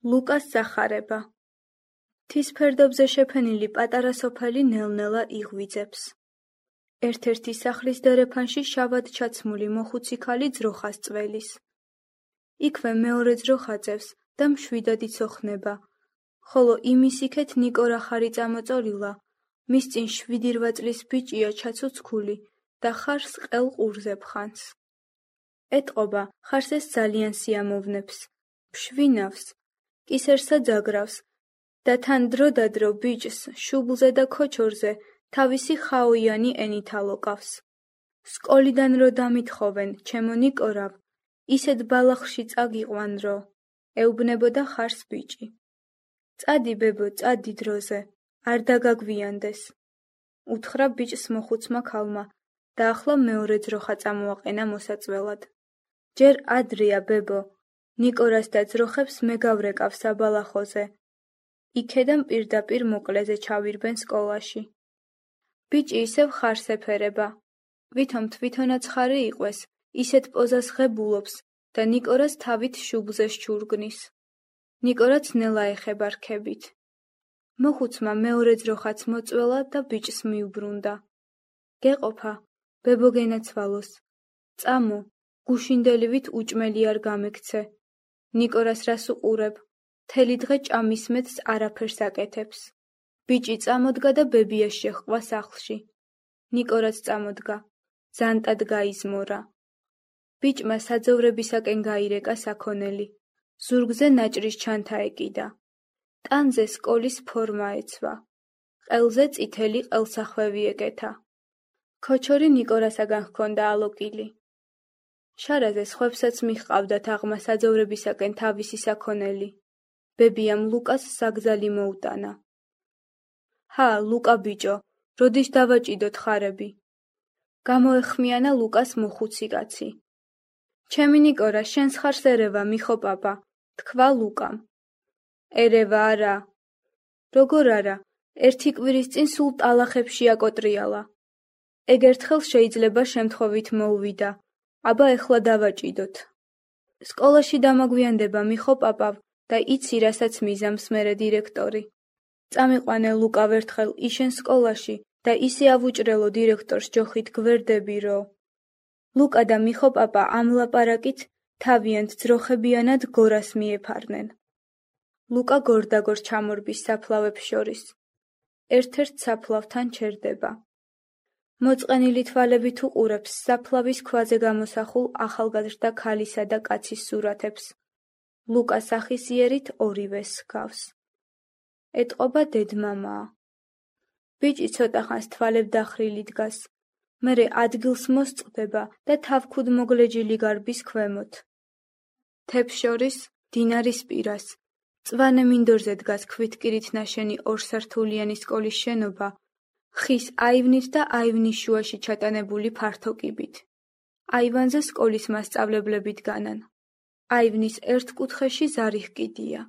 ლუკას სახარება. მთის ფერდობზე შეფენილი პატარა სოფელი ნელ-ნელა იღვიძებს. ერთ-ერთი სახლის დერეფანში შავად ჩაცმული მოხუცი ქალი ძროხას წველის. იქვე მეორე ძროხა წევს და მშვიდად იცოხნება, ხოლო იმის იქეთ ნიკო რახარი წამოწოლილა, მის წინ 7-8 წლის ბიჭია ჩაცუცქული და ხარს ყელ ყურზე ფხანს. ეტყობა, ხარს ეს ძალიან სიამოვნებს, ფშვინავს, კისერსა ძაგრავს და თან დროდადრო ბიჭს შუბლზე და ქოჩორზე თავისი ხაოიანი ენით ალოკავს. სკოლიდან რო დამითხოვენ, ჩემო ნიკორავ, ისეთ ბალახში წაგიყვან რო, ეუბნებოდა ხარს ბიჭი. წადი ბებო, წადი დროზე, არ დაგაგვიანდეს. უთხრა ბიჭს მოხუცმა ქალმა და ახლა მეორე ძროხა წამოაყენა მოსაწველად. ჯერ ადრეა ბებო, ნიკორას და ძროხებს მე გავრეკავ საბალახოზე. იქედან პირდაპირ მოკლეზე ჩავირბენ სკოლაში. ბიჭი ისევ ხარს ეფერება. ვითომ თვითონაც ხარი იყვეს, ისეთ პოზას ღებულობს და ნიკორას თავით შუბლზე შჩურგნის. ნიკორაც ნელა ეხება რქებით. მოხუცმა მეორე ძროხაც მოწველა და ბიჭს მიუბრუნდა. გეყოფა, ბებო გენაცვალოს. წამო, გუშინდელივით უჭმელი არ გამექცე. ნიკორას რას უყურებ, მთელი დღე ჭამისმეთს არაფერს აკეთებს. ბიჭი წამოდგა და ბებიას შეჰყვა სახლში. ნიკორაც წამოდგა, ზანტად გაიზმორა. ბიჭმა საძოვრებისაკენ გაირეკა საქონელი. ზურგზე ნაჭრის ჩანთა ეკიდა. ტანზე სკოლის ფორმა ეცვა. ყელზე წითელი ყელსახვევი ეკეთა. ქოჩორი ნიკორასაგან ჰქონდა ალოკილი. შარაზე სხვებსაც მიჰყავდათ აღმა საძოვრებისაკენ თავისი საქონელი. ბებიამ ლუკას საგზალი მოუტანა. ჰა, ლუკა ბიჭო, როდის დავაჭიდოთ ხარები? გამოეხმიანა ლუკას მოხუცი კაცი. ჩემი ნიკორა, შენს ხარს ერევა, მიხო პაპა, თქვა ლუკამ. ერევა არა. როგორ არა, ერთი კვირის წინ სულ ტალახებში აკოტრიალა. ეგერთხელ შეიძლება შემთხვევით მოუვიდა, აბა ეხლა დავაჭიდოთ. სკოლაში დამაგვიანდება მიხო პაპავ და იცი რასაც მიზამს მერე დირექტორი. წამიყვანე ლუკავ ერთხელ იშენ სკოლაში და ისე ავუჭრელო დირექტორს ჯოხით გვერდები რო. ლუკა და მიხო პაპა ამ ლაპარაკით თავიანთ ძროხებიანად გორას მიეფარნენ. ლუკა გორდაგორ ჩამორბის საფლავებს შორის. ერთ-ერთ საფლავთან ჩერდება. მოწყენილი თვალებით უყურებს საფლავის ქვაზე გამოსახულ ახალგაზრდა ქალისა და კაცის სურათებს. ლუკა სახისიერით ორივეს ჰგავს. ეტყობა დედმამაა. ბიჭი ცოტა ხანს თვალებ დახრილი დგას. მერე ადგილს მოსწყდება და თავქუდ მოგლეჯილი გარბის ქვემოთ. თებს შორის, დინარის პირას, მწვანე მინდორზე დგას ქვითკირით ნაშენი ორსართულიანი სკოლის შენობა, ხის აივნით და აივნის შუაში ჩატანებული ფართო კიბით. აივანზე სკოლის მასწავლებლები დგანან. აივნის ერთ კუთხეში ზარი ჰკიდია.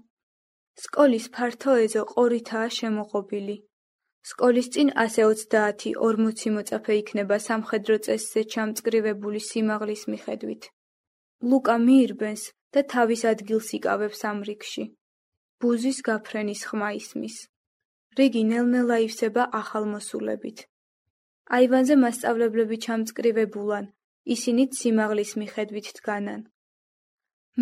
სკოლის ფართო ეზო ყორითაა შემოღობილი. სკოლის წინ ასე 30-40 მოწაფე იქნება სამხედრო წესზე ჩამწკრივებული სიმაღლის მიხედვით. ლუკა მიირბენს და თავის ადგილს იკავებს ამ რიგში. ბუზის გაფრენის ხმა ისმის. რიგი ნელ-ნელა ივსება ახალმოსულებით. აივანზე მასწავლებლები ჩამწკრივებულან, ისინიც სიმაღლის მიხედვით დგანან.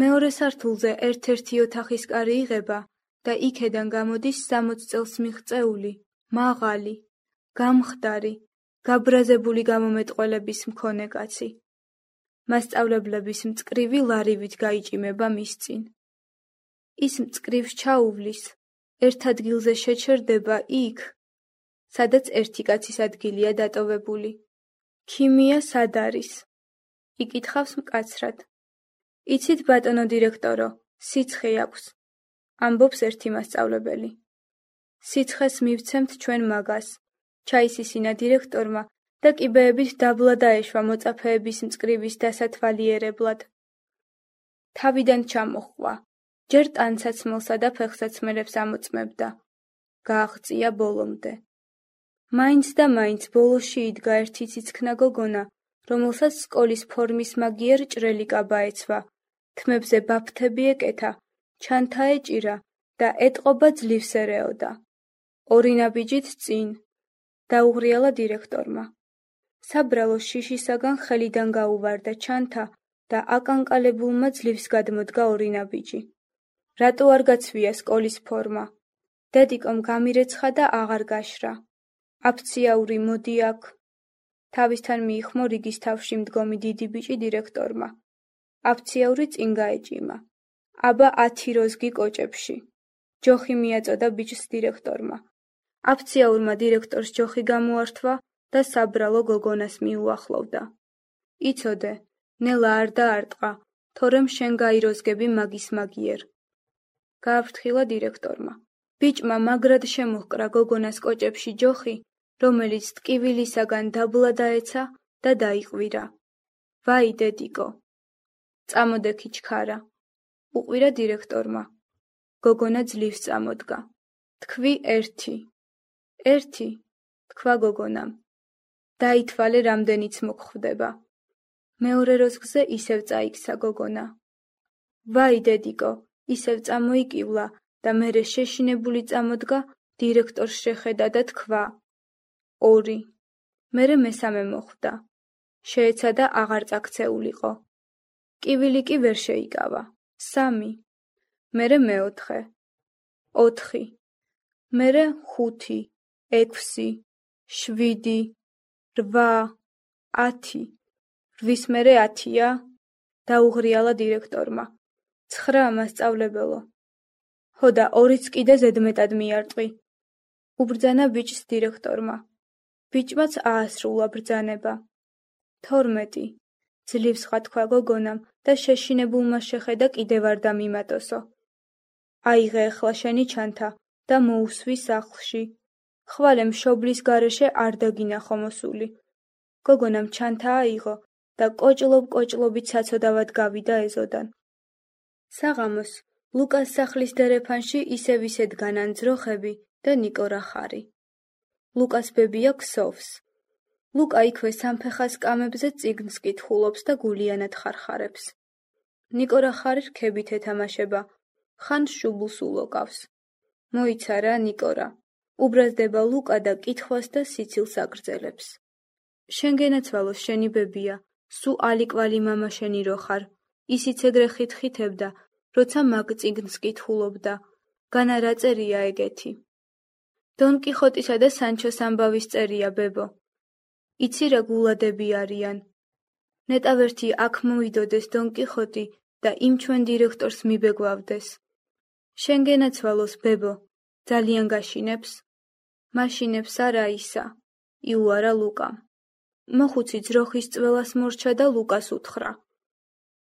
მეორე სართულზე ერთ-ერთი ოთახის კარი იღება და იქედან გამოდის 60 წელს მიღწეული, მაღალი, გამხდარი, გაბრაზებული გამომეტყველების მქონე კაცი. მასწავლებლების მწკრივი ლარივით გაიჭიმება მის წინ. ის მწკრივს ჩაუვლის, ერთ ადგილზე შეჩერდება იქ, სადაც ერთი კაცის ადგილია დატოვებული. ქიმია სად არის? იკითხავს მკაცრად. იცით ბატონო დირექტორო, სიცხე აქვს, ამბობს ერთი მასწავლებელი. სიცხეს მივცემთ ჩვენ მაგას, ჩაისისინა დირექტორმა და კიბეებით დაბლა დაეშვა მოწაფეების მწკრივის დასათვალიერებლად. თავიდან ჩამოჰყვა, ჯერ ტანსაცმელსა და ფეხსაცმელებს ამოწმებდა. გააღწია ბოლომდე. მაინც და მაინც ბოლოში იდგა ერთი ციცქნა გოგონა, რომელსაც სკოლის ფორმის მაგიერ ჭრელი კაბა ეცვა, თმებზე ბაფთები ეკეთა, ჩანთა ეჭირა და ეტყობა ძლივს ერეოდა. ორი ნაბიჯით წინ. დაუღრიალა დირექტორმა. საბრალო შიშისაგან ხელიდან გაუვარდა ჩანთა და აკანკალებულმა ძლივს გადმოდგა ორი ნაბიჯი. რატო არ გაცვია სკოლის ფორმა? დედიკომ გამირეცხა და აღარ გაშრა. აფციაური მოდი აქ. თავისთან მიიხმო რიგის თავში მდგომი დიდი ბიჭი დირექტორმა. აფციაური წინ გაეჭიმა. აბა 10 როზგი კოჭებში. ჯოხი მიაწოდა ბიჭს დირექტორმა. აფციაურმა დირექტორს ჯოხი გამოართვა და საბრალო გოგონას მიუახლოვდა. იცოდე, ნელა არ დაარტყა, თორემ შენ გაიროზგები მაგის მაგიერ. გააფრთხილა დირექტორმა. ბიჭმა მაგრად შემოჰკრა გოგონას კოჭებში ჯოხი, რომელიც ტკივილისაგან დაბლა დაეცა და დაიყვირა. ვაი დედიკო. წამოდექი ჩქარა. უყვირა დირექტორმა. გოგონა ძლივს წამოდგა. თქვი 1. 1, თქვა გოგონამ. დაითვალე რამდენიც მოგხვდება. მეორე როზგზე ისევ წაიქცა გოგონა. ვაი დედიკო, ისევ წამოიკივლა და მერე შეშინებული წამოდგა, დირექტორს შეხედა და თქვა. 2. მერე მესამე მოხვდა. შეეცადა აღარ წაქცეულიყო. კივილი კი ვერ შეიკავა. 3. მერე მეოთხე. 4. მერე 5, 6, 7, 8, 10. 8-ის მერე 10-ია? დაუღრიალა დირექტორმა. 9 მასწავლებელო. ხო და 2-იც კიდე ზედმეტად მიარტყი. უბრძანა ბიჭს დირექტორმა. ბიჭმაც აასრულა ბრძანება. 12. ძლივს ხათქვა გოგონამ და შეშინებულმა შეხედა კიდევ არ დამიმატოსო. აიღე ახლა შენი ჩანთა და მოუსვი სახლში. ხვალე მშობლის გარეშე არ დაგინახო მოსული. გოგონამ ჩანთა აიღო და კოჭლობ-კოჭლობით საცოდავად გავიდა ეზოდან. საღამოს ლუკას სახლის დერეფანში ისევ ისე დგანან ძროხები და ნიკორა ხარი. ლუკას ბებია ქსოვს. ლუკა იქვე სამფეხა სკამებზე წიგნს კითხულობს და გულიანად ხარხარებს. ნიკორა ხარი რქებით ეთამაშება, ხან შუბლს ულოკავს. მოიცა რა ნიკორა. უბრაზდება ლუკა და კითხვას და სიცილს აგრძელებს. შენ გენაცვალოს შენი ბებია, სუ ალიკვალი მამა შენი რო ხარ. ისიც ეგრე ხითხითებდა, როცა მაგ წიგნს კითხულობდა. განა რა წერია ეგეთი? დონ კიხოტისა და სანჩოს ამბავის წერია ბებო. იცი რა გულადები არიან. ნეტავერთი აქ მოვიდოდეს დონ კიხოტი და იმ ჩვენ დირექტორს მიბეგვავდეს. შენ გენაცვალოს ბებო, ძალიან გაშინებს? მაშინებს არა ისა, იუარა ლუკამ. მოხუცი ძროხის წველას მორჩა და ლუკას უთხრა.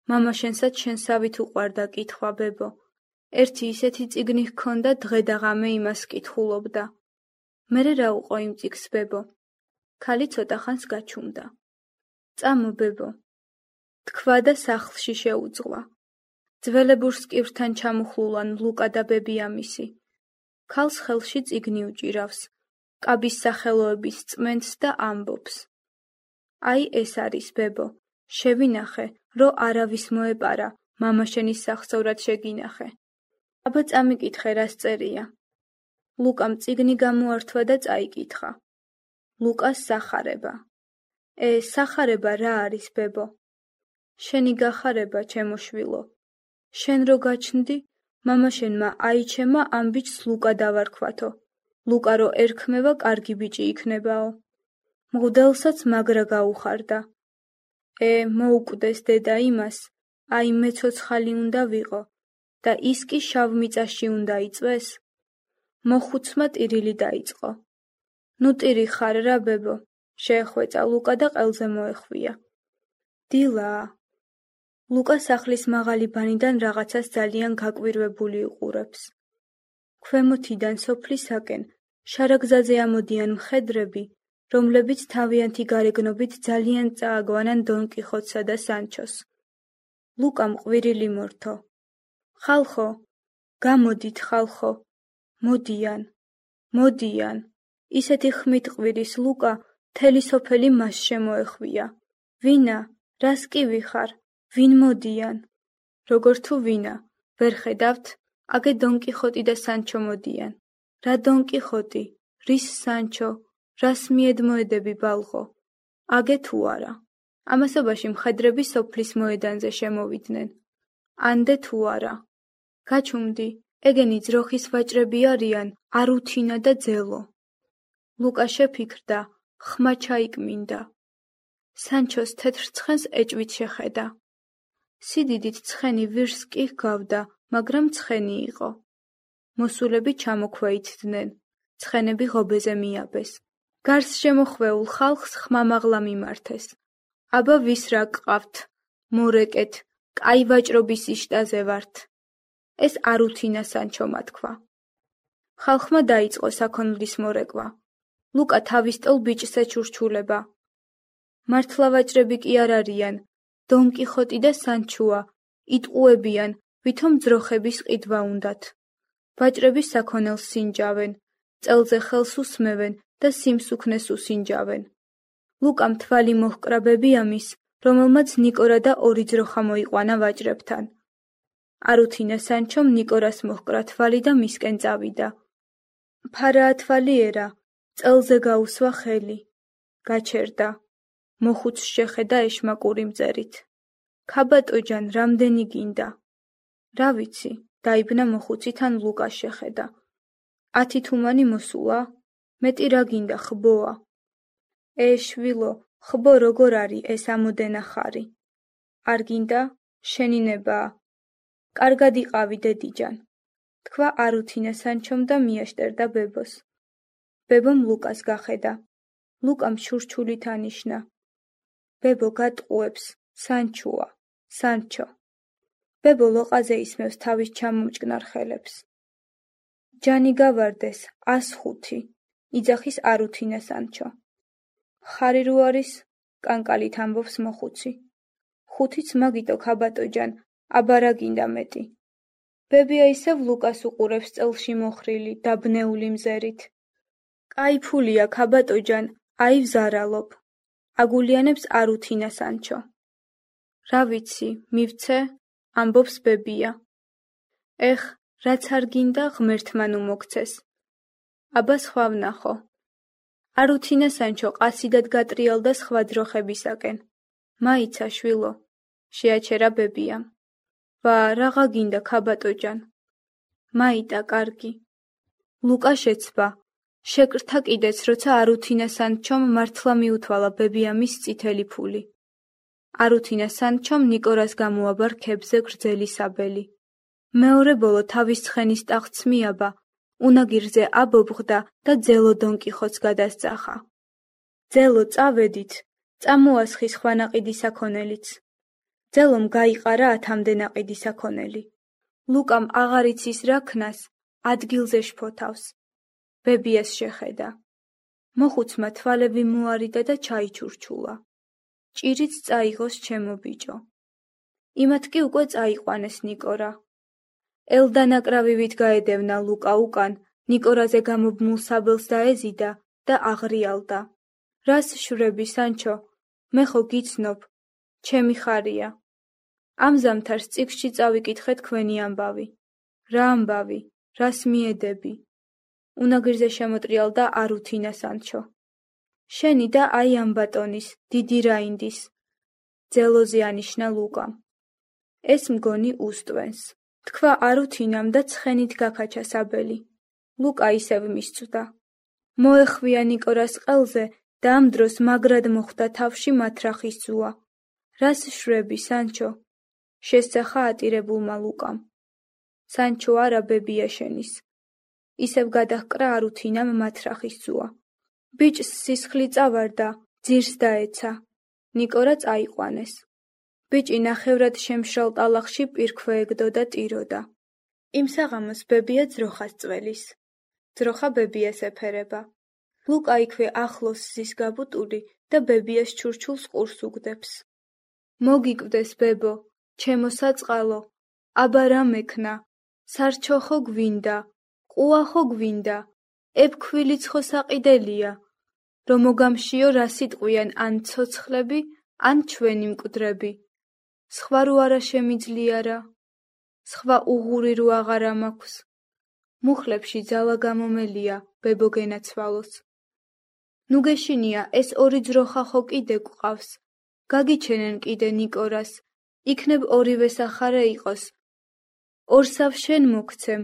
მამა შენსაც შენსავით უყვარდა კითხვა ბებო. ერთი ისეთი წიგნი ჰქონდა, დღე და ღამე იმას კითხულობდა. მერე რა უყო იმ წიგნს ბებო? ქალი ცოტა ხანს გაჩუმდა. წამო ბებო. თქვა და სახლში შეუძღვა. ძველებურს კივრთან ჩამოხლულან ლუკა და ბებიამისი. ქალს ხელში წიგნი უჭირავს. კაბის სახელოების წმენდს და ამბობს. აი ეს არის ბებო. შევინახე, რო არავის მოეპარა, მამა შენის სახსოვრად შეგინახე. აბა წამიკითხე რას წერია. ლუკამ წიგნი გამოართვა და წაიკითხა. ლუკას სახარება. სახარება რა არის ბებო? შენი გახარება, ჩემო შვილო. შენ რო გაჩნდი, მამა შენმა აიჩემა ამ ბიჭს ლუკა დავარქვათო. ლუკა რო ერქმევა, კარგი ბიჭი იქნებაო. მღვდელსაც მაგრა გაუხარდა. მოუკვდეს დედა იმას, აი მე ცოცხალი უნდა ვიყო და ის კი შავ მიწაში უნდა იწვეს. მოხუცმა ტირილი დაიწყო. ნუ ტირი ხარ რა ბებო, შეეხვეწა ლუკა და ყელზე მოეხვია. დილაა. ლუკა სახლის მაღალი ბანიდან რაღაცას ძალიან გაკვირვებული უყურებს. ქვემოთიდან სოფლისაკენ შარაგზაზე ამოდიან მხედრები, რომლებიც თავიანთი გარეგნობით ძალიან წააგვანან დონ კიხოტსა და სანჩოს. ლუკამ ყვირილი მორთო. ხალხო, გამოდით ხალხო, მოდიან, მოდიან. ისეთი ხმით ყვირის ლუკა, მთელი სოფელი მას შემოეხვია. ვინა, რას კი ვიხარ, ვინ მოდიან? როგორ თუ ვინა, ვერ ხედავთ, აგე დონკიხოტი და სანჩო მოდიან. რა დონკიხოტი, რის სანჩო, რას მიედმოედები ბალღო? აგე თუ არა. ამასობაში მხედრები სოფლის მოედანზე შემოვიდნენ. ანდე თუ არა. გაჩუმდი, ეგენი ძროხის ვაჭრები არიან არუთინა და ძელო. ლუკა შეფიქრდა, ხმა ჩაიკმინდა. სანჩოს თეთრ ცხენს ეჭვით შეხედა. სიდიდით ცხენი ვირს კი ჰგავდა, მაგრამ ცხენი იყო. მოსულები ჩამოქვეითდნენ, ცხენები ღობეზე მიაბეს. გარს შემოხვეულ ხალხს ხმამაღლა მიმართეს. აბა ვის რა გყავთ, მორეკეთ, კაი ვაჭრობის იშტაზე ვართ. ეს არუთინა სანჩომა თქვა. ხალხმა დაიწყო საქონლის მორეკვა. ლუკა თავის ტოლ ბიჭს ეჩურჩულება. მართლა ვაჭრები კი არ არიან, დონკიხოტი და სანჩოა, იტყუებიან, ვითომ ძროხების ყიდვა უნდათ. ვაჭრები საქონელს სინჯავენ, წელზე ხელს უსმევენ და სიმსუქნეს უსინჯავენ. ლუკამ თვალი მოჰკრა ბებიამის, რომელმაც ნიკორა და ორი ძროხა მოიყვანა ვაჭრებთან. არუთინა სანჩომ ნიკორას მოჰკრა თვალი და მისკენ წავიდა. ფარაა თვალიერა, წელზე გაუსვა ხელი. გაჩერდა. მოხუცს შეხედა ეშმაკური მწერით. ქაბატოჯან, რამდენი გინდა? რა ვიცი, დაიბნა მოხუცი თან ლუკას შეხედა. 10 თუმანი მოსულა? მეტი რა გინდა ხბოა? შვილო, ხბო როგორ არის ეს ამოდენა ხარი? არ გინდა? შენინებაა. კარგად იყავი დედიჯან. თქვა არუთინა სანჩომ და მიაშტერდა ბებოს. ბებომ ლუკას გახედა. ლუკამ შურჩულით ანიშნა. ბებო გატყუებს, სანჩოა, სანჩო. ბებო ლოყაზე ისმევს თავის ჩამომჭკნარ ხელებს. ჯანი გავარდეს, 105, იძახის არუთინა სანჩო. ხარი რო არის? კანკალით ამბობს მოხუცი. 5-იც მაგიტო ქაბატოჯან, აბა რა გინდა მეტი? ბებია ისევ ლუკას უყურებს წელში მოხრილი, დაბნეული მზერით. კაი ფულია ქაბატოჯან, აი ვზარალობ. აგულიანებს არუთინა სანჩო. რა ვიცი, მივცე? ამბობს ბებია. ეხ, რაც არ გინდა ღმერთმა ნუ მოგცეს. აბა სხვა ვნახო. არუთინა სანჩო ყასიდად გატრიალდა სხვა ძროხებისაკენ. მაიცა შვილო, შეაჩერა ბებიამ. ვა, რაღა გინდა ქაბატოჯან? მაიტა კარგი. ლუკა შეცვა. შეკრთა კიდეც, როცა არუთინა სანჩომ მართლა მიუთვალა ბებიამის წითელი ფული. არუთინა სანჩომ ნიკორას გამოაბა რქებზე გრძელი საბელი. მეორე ბოლო თავის ცხენის ტახტს მიაბა, უნაგირზე აბობღდა და ძელო დონკიხოტს გადასწახა. ძელო წავედით, წამოასხი სხვა ნაყიდი საქონელიც. ძელომ გაიყარა 10-მდე ნაყიდი საქონელი. ლუკამ აღარ იცის რა ქნას, ადგილზე შფოთავს. ბებიას შეხედა. მოხუცმა თვალები მოარიდა და ჩაიჩურჩულა. ჭირიც წაიღოს ჩემო ბიჭო. იმათ კი უკვე წაიყვანეს ნიკორა. ელდანაკრავივით გაედევნა ლუკა უკან, ნიკორაზე გამობმულ საბელს დაეზიდა და აღრიალდა. რას შვრები სანჩო? მე ხო გიცნობ, ჩემი ხარია. ამ ზამთარს წიგნში წავიკითხე თქვენი ამბავი. რა ამბავი? რას მიედები? უნაგირზე შემოტრიალდა არუთინა სანჩო. შენი და აი ამ ბატონის, დიდი რაინდის. ძელოზე ანიშნა ლუკამ. ეს მგონი უსტვენს. თქვა არუთინამ და ცხენით გაქაჩა საბელი. ლუკა ისევ მისწვდა. მოეხვია ნიკორას ყელზე და ამ დროს მაგრად მოხვდა თავში მათრახის ზუა. რას შვრები სანჩო? შესწახა ატირებულმა ლუკამ. სანჩო არა ბებია შენის. ისევ გადაჰკრა არუთინამ მათრახის ზუა. ბიჭს სისხლი წავარდა, ძირს დაეცა. ნიკორა წაიყვანეს. ბიჭი ნახევრად შემშრალ ტალახში პირქვეეგდო და ტიროდა. იმ საღამოს ბებია ძროხას წველის. ძროხა ბებიას ეფერება. ლუკა იქვე ახლოს ზის გაბუტული და ბებიას ჩურჩულს ყურს უგდებს. მოგიკვდეს ბებო, ჩემო საწყალო, აბა რა მექნა, სარჩო ხო გვინდა, ყუა ხო გვინდა, ებქვილიც ხო საყიდელია, რომ მოგამშიო რა სიტყვიან ან ცოცხლები, ან ჩვენი მკვდრები. სხვა რო არა შემიძლია რა. სხვა უღური რო აღარ ამაქვს. მუხლებში ძალა გამომელია, ბებო გენაცვალოს. ნუ გეშინია, ეს ორი ძროხა ხო კიდე გვყავს. გაგიჩენენ კიდე ნიკორას, იქნებ ორივე სახარე იყოს. ორსავ შენ მოგცემ,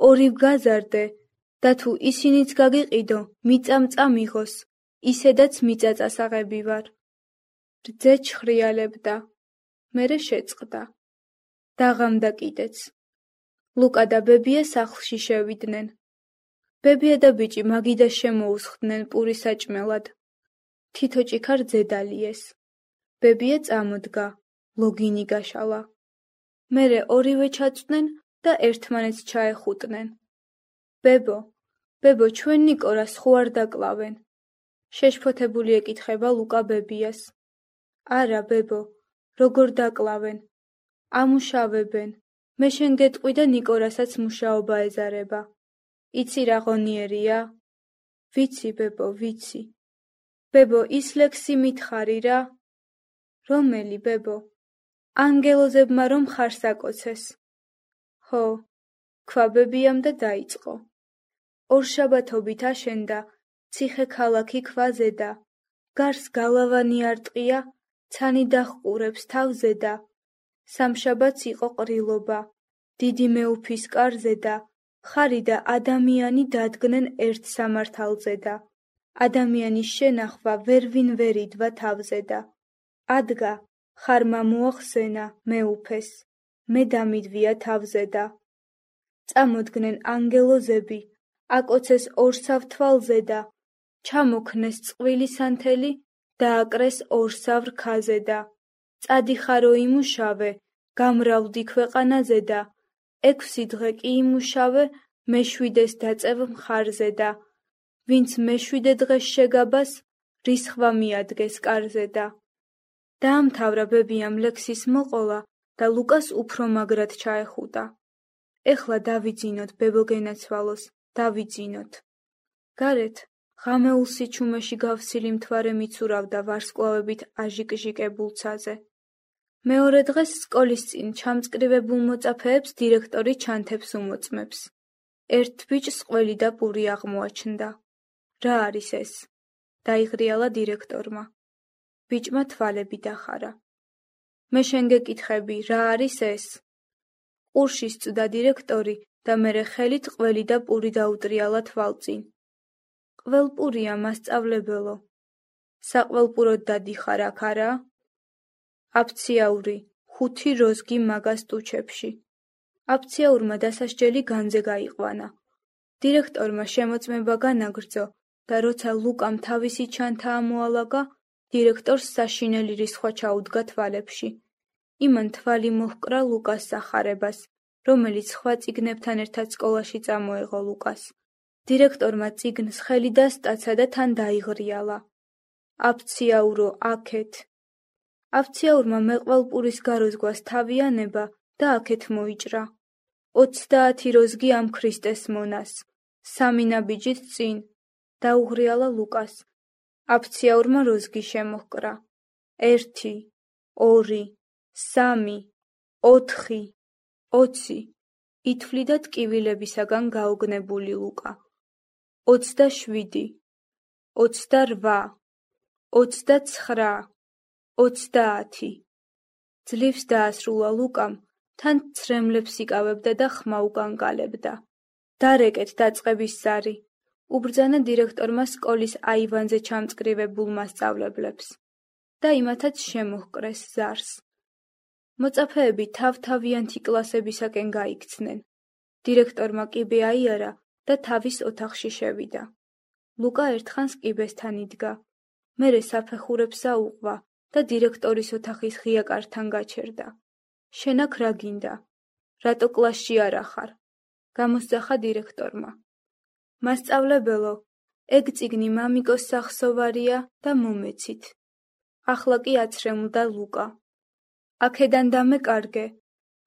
ორივ გაზარდე, და თუ ისინიც გაგიყიდო, მიწამწა მიღოს, ისედაც მიწა წასაღები ვარ. რძე ჩხრიალებდა, მერე შეწყდა. დაღამდა კიდეც. ლუკა და ბებია სახლში შევიდნენ. ბებია და ბიჭი მაგიდა შემოუსხდნენ პურის საჭმელად. თითო ჭიქარ ძედალიეს. ბებია წამოდგა, ლოგინი გაშალა. მერე ორივე ჩაწვდნენ და ერთმანეთს ჩაეხუტნენ. ბებო, ჩვენ ნიკორას ხო არ დაკლავენ? შეშფოთებული ეკითხება ლუკა ბებიას. არა, ბებო, როგორ დაკლავენ? ამუშავებენ. მე შენ გეტყვი და ნიკორასაც მუშაობა ეზარება. იცი რა ღონიერია? ვიცი, ბებო, ვიცი. ბებო, ის ლექსი მითხარი რა? რომელი, ბებო? ანგელოზებმა რომ ხარს აკოცეს. ხო, ქვა ბებიამ და დაიწყო. ორშაბათობით აშენდა, ციხე ქალაქი ქვაზედა. გარს გალავანი არტყია, ცანი დახყურებს თავზედა. სამშაბათს იყო ყრილობა, დიდი მეუფის კარზედა. ხარი და ადამიანი დადგნენ ერთ სამართალზედა. ადამიანის შენახვა ვერვინ ვერ იდვა თავზედა. ადგა, ხარმა მოახსენა მეუფეს, მე დამიდვია თავზედა. წამოდგნენ ანგელოზები, აკოცეს ორსავ თვალზედა. ჩამოქნეს წყვილი სანთელი, დააკრეს ორსავ რქაზედა. წადიხარო იმუშავე, გამრავლდი ქვეყანაზედა. 6 დღე კი იმუშავე, მეშვიდეს დაწევ მხარზედა. ვინც მეშვიდე დღეს შეგაბას, რისხვა მიადგეს კარზედა. დაამთავრა ბებიამ ლექსის მოყოლა და ლუკას უფრო მაგრად ჩაეხუტა. ეხლა დავიძინოთ, ბებო გენაცვალოს, დავიძინოთ. გარეთ ღამეულ სიჩუმეში გავსილი მთვარე მიცურავდა ვარსკვლავებით აჟიკ-ჟიკებულ ცაზე. მეორე დღეს სკოლის წინ ჩამწკრივებულ მოწაფეებს დირექტორი ჩანთებს უმოწმებს. ერთ ბიჭს ყველი და პური აღმოაჩნდა. რა არის ეს? დაიღრიალა დირექტორმა. ბიჭმა თვალები დახარა. მე შენ გეკითხები, რა არის ეს? ყურში სწდა დირექტორი და მერე ხელით ყველი და პური დაუტრიალა თვალწინ. ყველპურია, მასწავლებელო. საყველპუროდ დადიხარ აქ არა? აფციაური, 5 როზგი მაგას ტუჩებში. აფციაურმა დასასჯელი განძე გაიყვანა. დირექტორმა შემოწმება განაგრძო და როცა ლუკამ თავისი ჩანთა ამოალაგა, დირექტორს საშინელი რისხვა ჩაუდგა თვალებში. იმან თვალი მოჰკრა ლუკას სახარებას, რომელიც სხვა წიგნებთან ერთად სკოლაში წამოეღო ლუკას. დირექტორმა წიგნს ხელი დასტაცა და თან დაიღრიალა. აფციაურო, აქეთ. აფციაურმა მეყვალპურის გაროზგვას თავი ანება და აქეთ მოიჭრა. 30 როზგი ამ ქრისტეს მონას. 3 ნაბიჯით წინ. დაუღრიალა ლუკას. აფციაურმა როზგი შემოჰკრა. 1, 2, 3, 4, 20. ითვლი და ტკივილებისაგან გაოგნებული ლუკა. 27, 28, 29, 30. ძლივს დაასრულა ლუკამ, თან ცრემლებს იკავებდა და ხმა უკანკალებდა. დარეკეთ დაწყების ზარი. უბრძანა დირექტორმა სკოლის აივანზე ჩამწკრივებულ მასწავლებლებს. და იმათაც შემოჰკრეს ზარს. მოწაფეები თავ-თავიანთი კლასებისაკენ გაიქცნენ. დირექტორმა კიბე აიარა და თავის ოთახში შევიდა. ლუკა ერთხანს კიბესთან იდგა. მერე საფეხურებს აუყვა და დირექტორის ოთახის ღია კართან გაჩერდა. შენ აქ რა გინდა? რატო კლასში არ ახარ? გამოსძახა დირექტორმა. მასწავლებელო, ეგ წიგნი მამიკოს სახსოვარია და მომეცით. ახლა კი აცრემლდა ლუკა. აქედან დამეკარგე,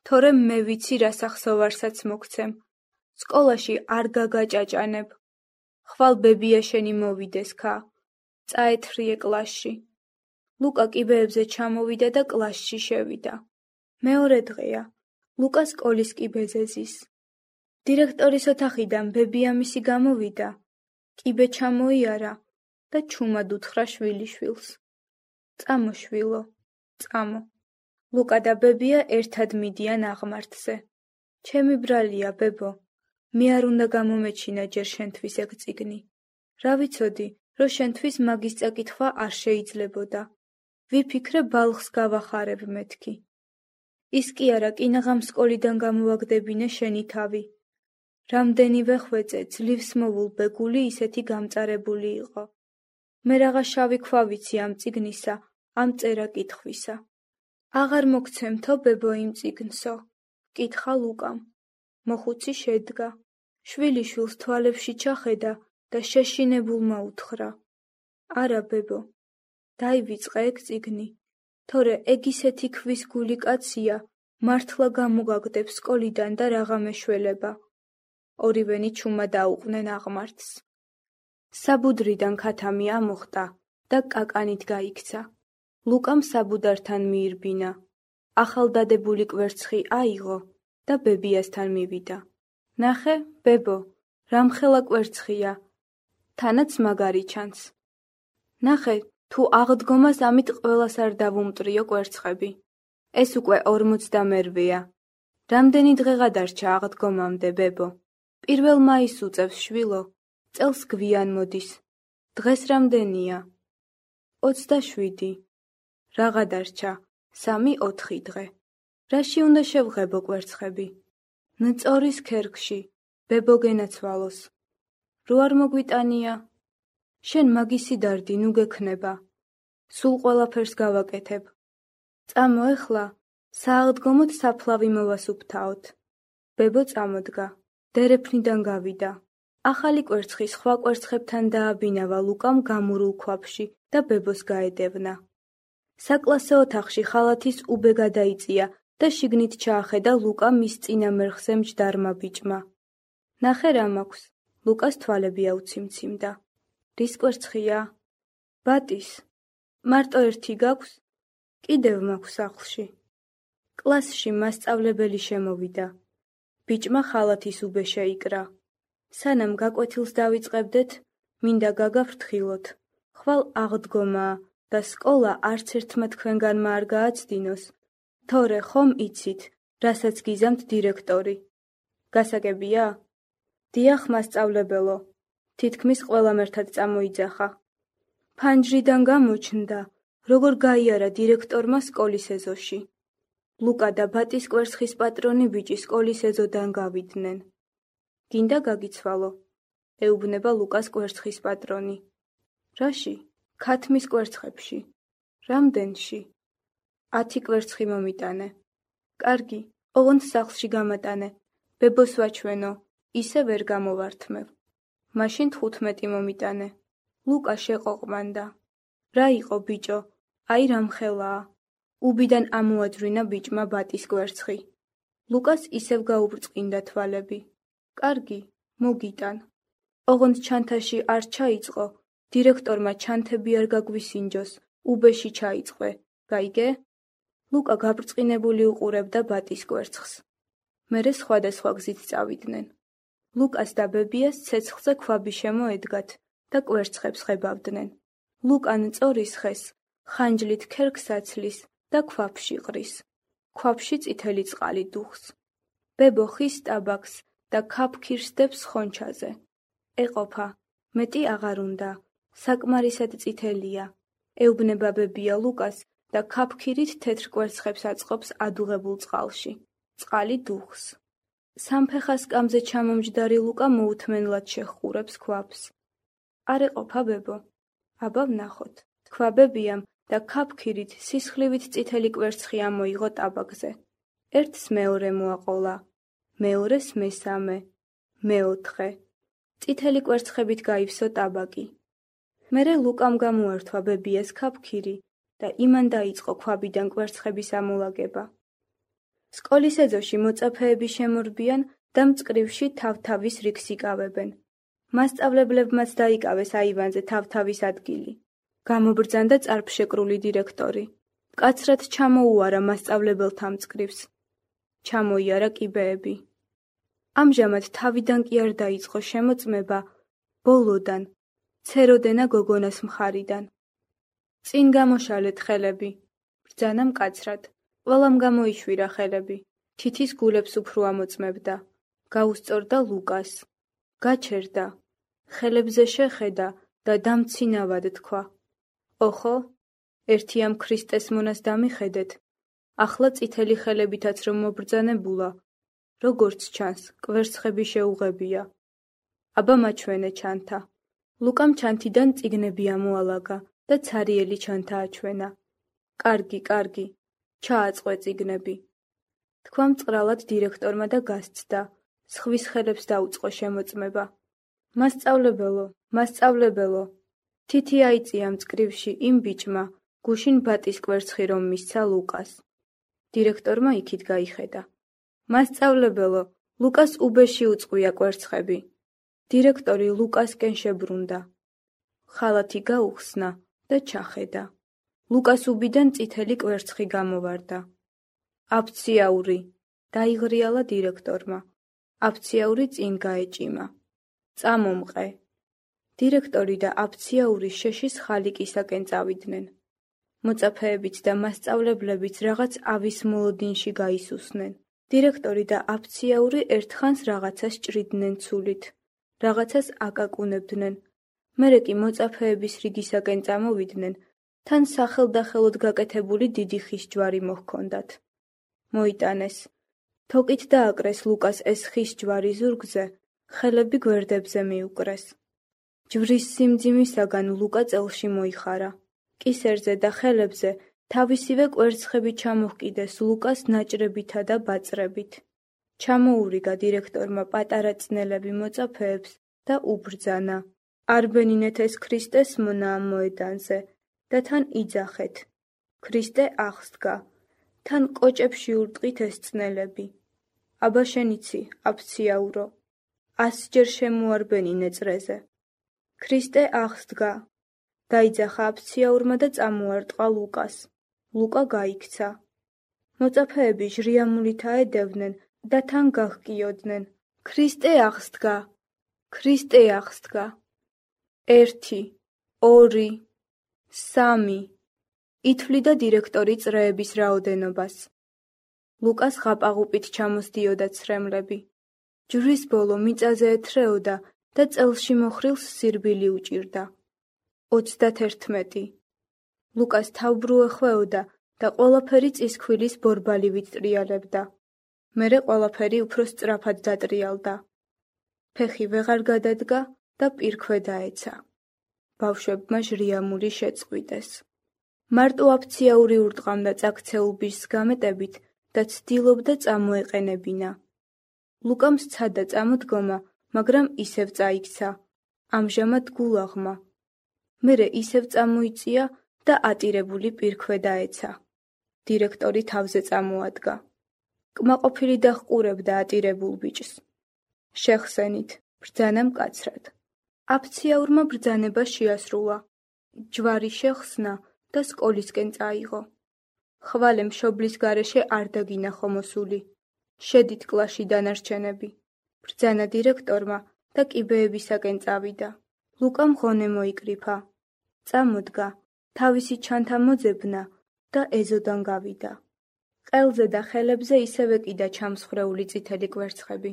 თორემ მე ვიცი რა სახსოვარსაც მოგცემ. სკოლაში არ გაგაჭაჭანებ. ხვალ ბებია შენი მოვიდეს ქა. წაეთრიე კლასში. ლუკა კიბეებზე ჩამოვიდა და კლასში შევიდა. მეორე დღეა. ლუკას სკოლის კი ბეზეზის. დირექტორის ოთახიდან ბებიამისი გამოვიდა, კიბე ჩამოიარა და ჩუმად უთხრა შვილიშვილს. წამო შვილო, წამო. ლუკა და ბებია ერთად მიდიან აღმართზე. ჩემი ბრალია, ბებო, მე არ უნდა გამომეჩინა ჯერ შენთვის ეგ წიგნი. რა ვიცოდი, რომ შენთვის მაგის წაკითხვა არ შეიძლებოდა. ვიფიქრე ბალხს გავახარებ მეთქი. ის კი არა, კინაღამ სკოლიდან გამოვაგდებინე შენი თავი. რამდენივე ხვეწე ძლივს მოვულ ბეგული ისეთი გამწარებული იყო. მე რაღა შავი ქვა ვიცი ამ წიგნისა, ამ წერა კითხვისა. აღარ მოგცემთო, ბებო, იმ წიგნსო? კითხა ლუკამ. მოხუცი შედგა. შვილიშვილს თვალებში ჩახედა და შეშინებულმა უთხრა. არა, ბებო, დაივიწყე ეგ წიგნი, თორე ეგ ისეთი ქვის გული კაცია, მართლა გამოგაგდებს სკოლიდან და რაღა მეშველება. ორივენი ჩუმად დაუყვნენ აღმართს. საბუდრიდან ქათამი ამოხტა და კაკანით გაიქცა. ლუკამ საბუდართან მიირბინა. ახალდადებული კვერცხი აიღო და ბებიასთან მივიდა. ნახე, ბებო, რამხელა კვერცხია, თანაც მაგარი ჩანს. ნახე, თუ აღდგომას ამით ყველას არ დავუმტრიო კვერცხები. ეს უკვე 48-ია. რამდენი დღე გადარჩა აღდგომამდე, ბებო? 1 მაისს უწევს, შვილო. წელს გვიან მოდის. დღეს რამდენია? 27. რა გადარჩა? 3-4 დღე. რაში უნდა შევღებო კვერცხები? ნწორის ქერქში, ბებო გენაცვალოს. რო არ მოგვიტანია? შენ მაგისი დარდი ნუ გექნება. სულ ყველაფერს გავაკეთებ. წამო ეხლა, სააღდგომოდ საფლავი მოვასუფთავოთ. ბებო წამოდგა. დერეფნიდან გავიდა. ახალი კვერცხი სხვა კვერცხებთან დააბინავა ლუკამ გამურულ ქვაბში და ბებოს გაედევნა. საკლასო ოთახში ხალათის უბე გადაიწია და შიგნით ჩაახედა ლუკა მის წინამერხზე მჯდარმა ბიჭმა. ნახე რა მაქვს, ლუკას თვალები აუციმციმდა. რის კვერცხია? ბატის. მარტო ერთი გაქვს? კიდევ მაქვს სახლში. კლასში მასწავლებელი შემოვიდა. ბიჭმა ხალათის უბე შეიკრა. სანამ გაკვეთილს დავიწყებდეთ, მინდა გაგაფრთხილოთ. ხვალ აღდგომაა და სკოლა არც ერთმა თქვენგანმა არ გააცდინოს. თორე ხომ იცით, რასაც გიზამთ დირექტორი. გასაგებია? დიახ, მასწავლებელო. თითქმის ყველამ ერთად წამოიძახა. ფანჯრიდან გამოჩნდა, როგორ გაიარა დირექტორმა სკოლის ეზოში. ლუკა და ბატის კვერცხის პატრონი ბიჭი სკოლის ეზოდან გავიდნენ. გინდა გაგიცვალო, ეუბნება ლუკას კვერცხის პატრონი. რაში? ქათმის კვერცხებში. რამდენში? 10 კვერცხი მომიტანე. კარგი, ოღონდ სახლში გამატანე. ბებოს ვაჩვენო, ისე ვერ გამოვართმევ. მაშინ 15 მომიტანე. ლუკა შეყოყმანდა. რა იყო ბიჭო? აი რამხელაა. უბიდან ამოაძვრინა ბიჭმა ბატის კვერცხი. ლუკას ისევ გაუბრწყინდა თვალები. კარგი, მოგიტან. ოღონდ ჩანთაში არ ჩაიწყო, დირექტორმა ჩანთები არ გაგვისინჯოს, უბეში ჩაიწყვე, გაიგე? ლუკა გაბრწყინებული უყურებდა ბატის კვერცხს. მერე სხვადასხვა გზით წავიდნენ. ლუკას და ბებიას ცეცხლზე ქვაბი შემოედგათ და კვერცხებს ხებავდნენ. ლუკა მწორის ხეს, ხანჯლით ქერქს აცლის და ქვაბში ყრის. ქვაბში წითელი წყალი დუხს. ბებო ხის ტაბაკს და ქაფქირსდებს ხონჩაზე. ეყოფა, მეტი აღარ უნდა, საკმარისად წითელია. ეუბნება ბებია ლუკას და ქაფქირით თეთრ კვერცხებს აწყობს ადუღებულ წყალში. წყალი დუხს. სამფეხა სკამზე ჩამომჯდარი ლუკა მოუთმენლად შეჰყურებს ქვაბს. არ ეყოფა, ბებო? აბა ვნახოთ, თქვა ბებიამ და ქაფქირით სისხლივით წითელი კვერცხი ამოიღო ტაბაკზე. ერთს მეორე მოაყოლა, მეორეს მესამე, მეოთხე. წითელი კვერცხებით გაივსო ტაბაკი. მერე ლუკამ გამოართვა ბებიას ქაფქირი და იმან დაიწყო ქვაბიდან კვერცხების ამოლაგება. სკოლის ეზოში მოწაფეები შემორბიან და მწკრივში თავ-თავის რიგს იკავებენ. მასწავლებლებმაც დაიკავეს აივანზე თავ-თავის ადგილი. გამობრძანდა წარფშეკრული დირექტორი. მკაცრად ჩამოუარა მასწავლებელთა მწკრივს. ჩამოიარა კიბეები. ამჟამად თავიდან კი არ დაიწყო შემოწმება, ბოლოდან, ცეროდენა გოგონას მხარიდან. წინ გამოშალეთ ხელები, ბრძანა მკაცრად, ყველამ გამოიშვირა ხელები, თითის გულებს უფრო ამოწმებდა, გაუსწორდა ლუკას, გაჩერდა, ხელებზე შეხედა და დამცინავად თქვა. ოხო, ერთი ამ ქრისტეს მონას დამიხედეთ, ახლა წითელი ხელებითაც რომ მობრძანებულა, როგორც ჩანს, კვერცხები შეუღებია. აბა მაჩვენე ჩანთა. ლუკამ ჩანთიდან წიგნები ამოალაგა და ცარიელი ჩანთა აჩვენა. კარგი, კარგი, ჩააწყვე წიგნები. თქვა მწყრალად დირექტორმა და გასცდა, სხვის ხელებს დაუწყო შემოწმება. მასწავლებელო, მასწავლებელო, თითი აიწია მწკრივში იმ ბიჭმა, გუშინ ბატის კვერცხი რომ მისცა ლუკას. დირექტორმა იქით გაიხედა. მასწავლებელო, ლუკას უბეში უწყვია კვერცხები. დირექტორი ლუკასკენ შებრუნდა. ხალათი გაუხსნა და ჩახედა. ლუკას უბიდან წითელი კვერცხი გამოვარდა. აფციაური, დაიღრიალა დირექტორმა. აფციაური წინ გაეჭიმა. წამომყე. დირექტორი და აფციაური შეშის ხალიკისაკენ წავიდნენ. მოწაფეებიც და მასწავლებლებიც რაღაც ავის მოლოდინში გაისუსნენ. დირექტორი და აფციაური ერთხანს რაღაცას ჭრიდნენ ცულით, რაღაცას აკაკუნებდნენ. მერე კი მოწაფეების რიგისაკენ წამოვიდნენ, თან სახელდახელოდ გაკეთებული დიდი ხის ჯვარი მოჰქონდათ. მოიტანეს. თოკით დააკრეს ლუკას ეს ხის ჯვარი ზურგზე, ხელები გვერდებზე მიუკრეს. ჯვრის სიმძიმისაგან ლუკა წელში მოიხარა. კისერზე და ხელებზე თავისივე კვერცხები ჩამოჰკიდეს ლუკას ნაჭრებითა და ბაწრებით. ჩამოურიგა დირექტორმა პატარა წნელები მოწაფეებს და უბრძანა. არბენინეთ ეს ქრისტეს მონა ამ მოედანზე და თან იძახეთ. ქრისტე აღსდგა, თან კოჭებში ურტყით ეს წნელები. აბა შენ იცი, აფციაურო, 100 ჯერ შემოარბენინე წრეზე. ქრისტე აღსდგა. დაიძახა აფციაურმა და წამოარტყა ლუკას. ლუკა გაიქცა. მოწაფეები ჟრიამულით აედევნენ და თან გაჰკიოდნენ. ქრისტე აღსდგა, ქრისტე აღსდგა. 1, 2, 3. ითვლიდა დირექტორი წრეების რაოდენობას. ლუკას ღაპაღუპით ჩამოსდიოდა ცრემლები. ჯვრის ბოლო მიწაზე ეთრეოდა და წელში მოხრილს სირბილი უჭირდა. 31. ლუკას თავბრუ ეხვეოდა და ყველაფერი წისქვილის ბორბალივით ტრიალებდა. მერე ყველაფერი უფრო სწრაფად დატრიალდა. ფეხი ვეღარ გადადგა და პირქვე დაეცა. ბავშვებმა ჟრიამული შეწყვიტეს. მარტო აფციაური ურტყამდა წაქცეულ ბიჭს გამეტებით და ცდილობდა წამოეყენებინა. ლუკამ სცადა წამოდგომა, მაგრამ ისევ წაიქცა. ამჟამად გულაღმა. მერე ისევ წამოიწია და ატირებული პირქვე დაეცა. დირექტორი თავზე წამოადგა. კმაყოფილი დაჰყურებდა ატირებულ ბიჭს. შეხსენით, ბრძანა მკაცრად. აფციაურმა ბრძანება შეასრულა. ჯვარი შეხსნა და სკოლისკენ წაიღო. ხვალე მშობლის გარეშე არ დაგინახო მოსული. შედით კლასში დანარჩენები. ბრძანა დირექტორმა და კიბეებისაკენ წავიდა. ლუკამ ღონე მოიკრიფა. წამოდგა, თავისი ჩანთა მოძებნა და ეზოდან გავიდა. ყელზე და ხელებზე ისევ ეკიდა ჩამსხრეული წითელი კვერცხები.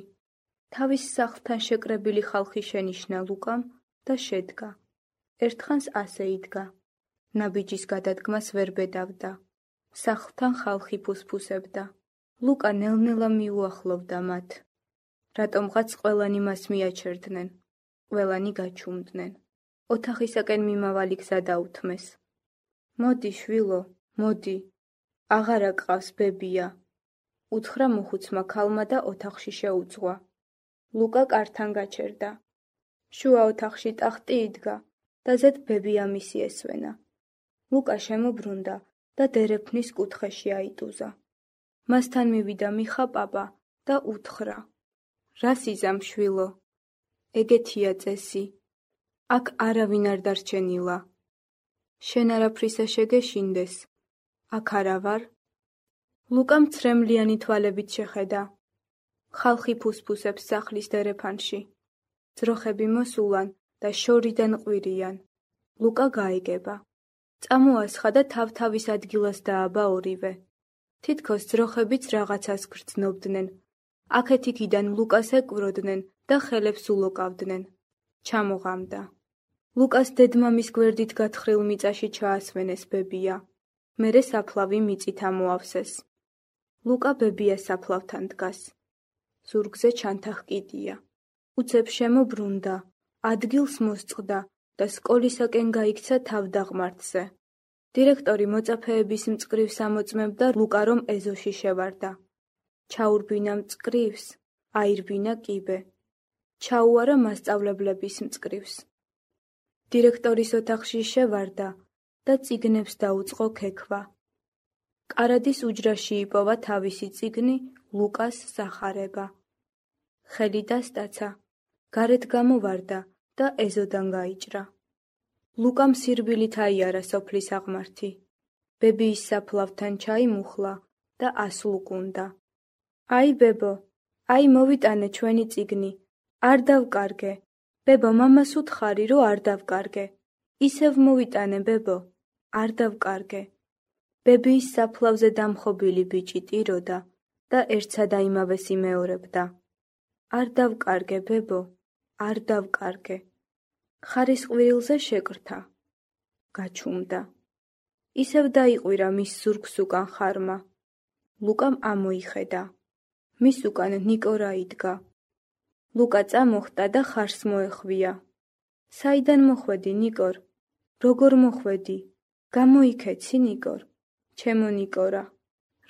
თავის სახლთან შეკრებილი ხალხი შენიშნა ლუკამ და შედგა. ერთხანს ასე იდგა. ნაბიჯის გადადგმას ვერ ბედავდა. სახლთან ხალხი ფუსფუსებდა. ლუკა ნელ-ნელა მიუახლოვდა მათ. რატომღაც ყველანი მას მიაჩერდნენ. ყველანი გაჩუმდნენ. ოთახისაკენ მიმავალი გზა დაუთმეს. მოდი, შვილო, მოდი. აღარა გყავს ბებია. უთხრა მოხუცმა ქალმა და ოთახში შეუძღვა. ლუკა კართან გაჩერდა. შუა ოთახში ტახტი იდგა და ზედ ბებია მისი ესვენა. ლუკა შემობრუნდა და დერეფნის კუთხეში აიტუზა. მასთან მივიდა მიხა პაპა და უთხრა. რას იზამ, შვილო? ეგეთია წესი. აქ არავინ არ დარჩენილა. შენ არაფრისა შეგეშინდეს. აქ არა ვარ? ლუკამ ცრემლიანი თვალებით შეხედა. ხალხი ფუსფუსებს სახლის დერეფანში. ძროხები მოსულან და შორიდან ყვირიან. ლუკა გაიგება. წამოასხა და თავ-თავის ადგილას დააბა ორივე. თითქოს ძროხებიც რაღაცას გრძნობდნენ. აქეთ-იქიდან ლუკას ეკვროდნენ და ხელებს ულოკავდნენ. ჩამოღამდა. ლუკას დედმამის გვერდით გათხრილ მიწაში ჩაასვენეს ბებია. მერე საფლავი მიწით ამოავსეს. ლუკა ბებიას საფლავთან დგას. ზურგზე ჩანთაღკიდია. უცებ შემობრუნდა, ადგილს მოსწყდა და სკოლისაკენ გაიქცა თავდაღმართზე. დირექტორი მოწაფეების მწკრივ ამოწმებდა ლუკა, რომ ეზოში შევარდა. ჩაურბინა მწკრივს, აირბინა კიბე. ჩაუარა მასწავლებლების მწკრივს. დირექტორის ოთახში შევარდა და წიგნებს დაუწყო ქექვა. კარადის უჯრაში იპოვა თავისი წიგნი ლუკას სახარება. ხელი დასტაცა, გარეთ გამოვარდა და ეზოდან გაიჭრა. ლუკამ სირბილით აიარა სოფლის აღმართი. ბებიის საფლავთან ჩაიმუხლა და ასლუკუნდა. აი ბებო, აი მოვიტანე ჩვენი წიგნი, არ დავკარგე. ბებო, მამას უთხარი, რომ არ დავკარგე. ისევ მოვიტანე ბებო, არ დავკარგე. ბებიის საფლავზე დამხობილი ბიჭი ტიროდა და ერთსა და იმავეს იმეორებდა. არ დავკარგე ბებო, არ დავკარგე. ხარის ყვირილზე შეკრთა. გაჩუმდა. ისევ დაიყვირა მის ზურგს უკან ხარმა. ლუკამ ამოიხედა. მის უკან ნიკორა იდგა. ლუკა წამოხტა და ხარს მოეხვია. საიდან მოხვედი, ნიკორ? როგორ მოხვედი? გამოიქეცი, ნიკორ? ჩემო ნიკორა.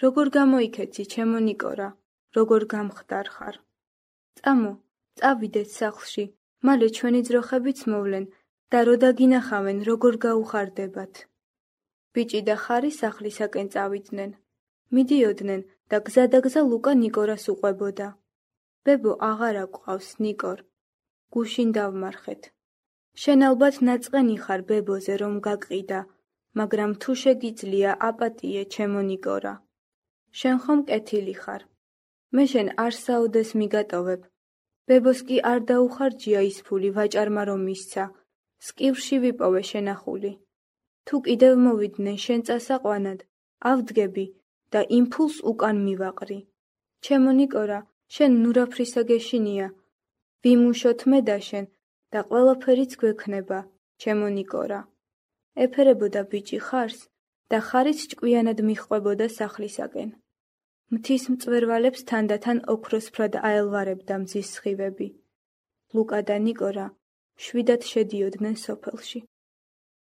როგორ გამოიქეცი, ჩემო ნიკორა? როგორ გამხდარ ხარ? წამო, წავიდეთ სახლში, მალე ჩვენი ძროხებიც მოვლენ და რო დაგინახავენ, როგორ გაუხარდებათ. ბიჭი და ხარი სახლისაკენ წავიდნენ. მიდიოდნენ და გზადაგზა ლუკა ნიკორას უყვებოდა. ბებო, აღარა გვყავს, ნიკორ. გუშინ დავმარხეთ. შენ ალბათ ნაწყენი ხარ ბებოზე, რომ გაკყიდა, მაგრამ თუ შეგიძლია აპატიე, ჩემო ნიკორა. შენ ხომ კეთილი ხარ. მე შენ არ საუდეს მიგატოვებ. ბებოს კი არ დაუხარჯია ის ფული ვაჭარმა რომ მისცა. სკივრში ვიპოვე შენახული. თუ კიდევ მოვიდნენ შენ წასაყვანად, ავდგები და იმ ფულს უკან მივაყრი. ჩემო ნიკორა, შენ ნურაფრისა გეშინია. ვიმუშოთ მე და შენ და ყველაფერიც გვექნება, ჩემო ნიკორა. ეფერებოდა ბიჭი ხარს და ხარიც ჭკვიანად მიჰყვებოდა სახლისაკენ. მთის მწვერვალებს თანდათან ოქროსფრად აელვარებდა მზის სხივები. ლუკა და ნიკორა შვიდად შედიოდნენ სოფელში.